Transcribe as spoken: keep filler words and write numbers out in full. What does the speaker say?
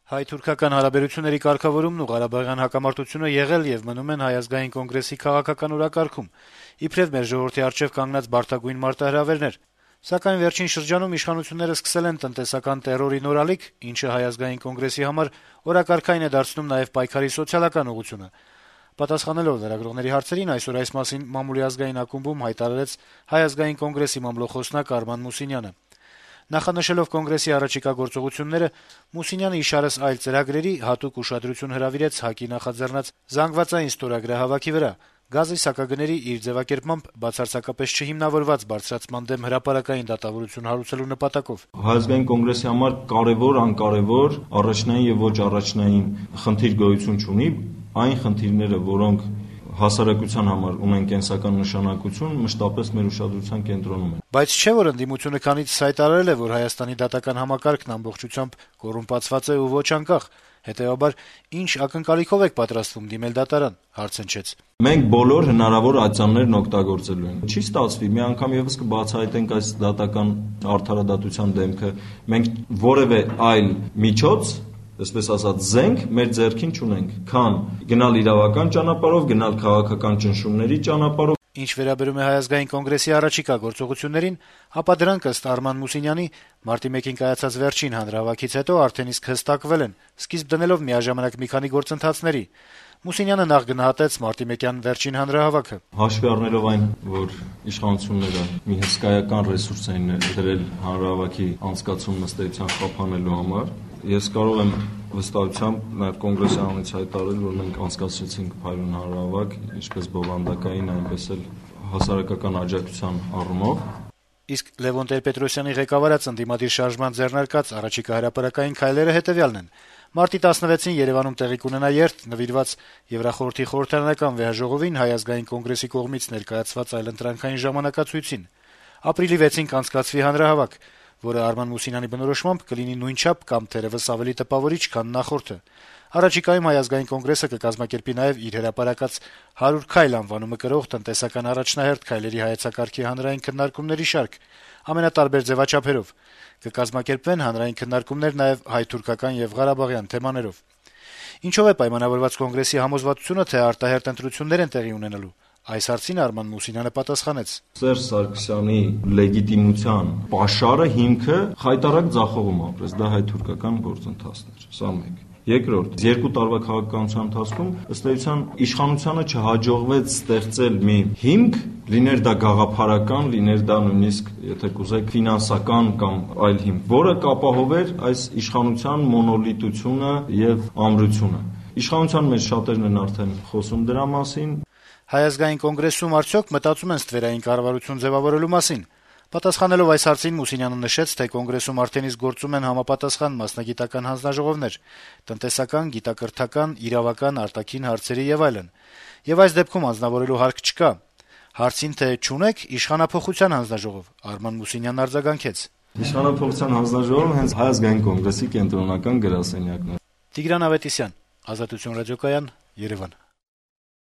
Հայ-թուրքական հարաբերությունների կարգավորումն ու ղարաբաղյան հակամարտությունը եղել եւ մնում են Հայ ազգային կոնգրեսի քաղաքական օրակարգում, իբրեւ մեր ժողովրդի առջեւ կանգնած բարդագույն մարտահրավերներ, սակայն վերջին շրջանում իշխանությունները սկսել են տնտեսական տերորի նոր ալիք, ինչը Հայ ազգային կոնգրեսի համար օրակարգային է դարձնում նաեւ պայքարի սոցիալական ուղղությունը։ Պատասխանելով լրագրողների հարցերին, այսօր այս մասին մամուլի ազգային ակումբում հայտարարեց Հայ ազգային կոնգրեսի մամլոխոսնակ Արման Մուսինյանը։ Նախանշելով կոնգրեսի առաջիկա գործողությունները, Մուսինյանը իշարս այլ ծրագրերի հատուկ ուշադրություն հրավիրեց ՀԱԿ-ի նախաձեռնած զանգվածային ստորագրահավաքի վրա, գազի սակագների իր ձեւակերպմամբ բացարձակապես չհիմնավորված բարձրացման դեմ հրապարակային դատավարություն հարուցելու նպատակով։ Հայ ազգային կոնգրեսի համար կարևոր, անկարևոր, առաջնային եւ ոչ առաջնային խնդիր գոյություն չունի, այն խնդիրները, որոնք հասարակության համար ունեն կենսական նշանակություն, մշտապես մեր ուշադրության կենտրոնում են։ Բայց չէ՞ որ ընդդիմությունը քանից հայտարարել է, որ Հայաստանի դատական համակարգն ամբողջությամբ կոռումպացված է ու ոչ անկախ, հետեւաբար ինչ ակնկալիքով եք պատրաստվում դիմել դատարան, հարցնչեց։ Մենք բոլոր հնարավոր ատյաններն օգտագործելու ենք։ Չի ստացվի, մի անգամ եւս կբացահայտենք այս դատական արդարադատության դեմքը։ Մենք որևէ այլ միջոց, այսպես ասած, զենք մեր ձեռքին չունենք, քան գնալ իրավական ճանապարհով, գնալ քաղաքական ճնշումների ճանապարհով։ Ինչ վերաբերում է Հայ ազգային կոնգրեսի առաջիկա գործողություններին, ապա դրանք ըստ Արման Մուսինյանի մարտի մեկին կայացած վերջին հանրահավաքից հետո արդեն իսկ հստակվել են, սկիզբ դնելով միաժամանակ մի քանի գործընթացների։ Մուսինյանը նախ գնահատեց մարտի մեկյան վերջին հանրահավաքը։ Հաշվի առնելով այն, որ իշխանությունները մի հսկայական ռեսուրս են դրել հանրահավաքի անցկացումն ըստ էության խափանելու համար, ես կարող եմ վստահությամբ նաև կոնգրեսի անունից հայտարարել, որ մենք անցկացրեցինք փայլուն հանրահավաք, ինչպես բովանդակային, այնպես էլ հասարակական աջակցության առումով։ Իսկ Լևոն Տեր-Պետրոսյանի ղեկավարած ընդդիմադիր շարժման ձեռնարկած առաջիկա հրապարակային քայլերը հետեւյալն են։ Մարտի տասնվեցին Երևանում տեղի կունենա երթ նվիրված Եվրախորհրդի խորհրդարանական վեհաժողովին Հայ ազգային կոնգրեսի կողմից ներկայացված այլընտրանքային ժամանակացույցին։ Ապրիլի վեցին կանցկացվի հանրահավաք, որը Արման Մուսինյանի բնորոշմամբ կլինի նույնչափ կամ թերևս ավելի տպավորիչ, քան նախորդը։ Առաջիկայում Հայ ազգային կոնգրեսը կկազմակերպի նաև իր հրապարակած հարյուր քայլ անվանումը կրող տնտեսական առաջնահերթ քայլերի հայեցակարգի հանրային քննարկումների շարք, ամենատարբեր ձևաչափերով։ Կկազմակերպվեն հանրային քննարկումներ նաև հայ-թուրքական եւ ղարաբաղյան թեմաներով։ Ինչով է պայմանավորված կոնգրեսի համոզվածությունը, թե արտահերթ ընտրություններ են տեղի ունենալու։ Այս հարցին Արման Մուսինյանը պատասխանեց. Սերժ Սարգսյանի լեգիտիմության պաշարը հիմքը խայտարակ ձախողում ապրեց, դա հայ-թուրքական գործընթացն էր, սա մեկ։ Երկրորդ, երկու տարվա քաղաքականության ընթացքում ըստ էության իշխանությանը չհաջողվեց ստեղծել մի հիմք, լիներ դա գաղափարական, լիներ դա նույնիսկ, եթե կուզեք, ֆինանսական կամ այլ հիմք, որը կապահովեր այս իշխանության մոնոլիտությունը եւ ամրությունը։ Իշխանության մեջ շատերն են արդեն խոսում դրա մասին։ Հայ ազգային կոնգրեսում արդյոք մտածում են ստվերային կառավարություն ձևավորելու մասին։ Պատասխանելով այս հարցին Մուսինյանը նշեց, թե կոնգրեսում արդեն իսկ գործում են համապատասխան մասնագիտական հանձնաժողովներ, տնտեսական, գիտակրթական, իրավական, արտաքին հարցերի եւ այլն։ Եվ այս դեպքում անձնավորելու հարկ չկա։ Հարցին, թե չունեք իշխանափոխության հանձնաժողով, Արման Մուսինյանն արձագանքեց. Իշխանափոխության հանձնաժողովը հենց Հայ ազգային կոնգրեսի կենտրոնական գրասենյակն է։ Տիգրան Ավետիսյան, Ազատություն ռադիոկայան, Երևան։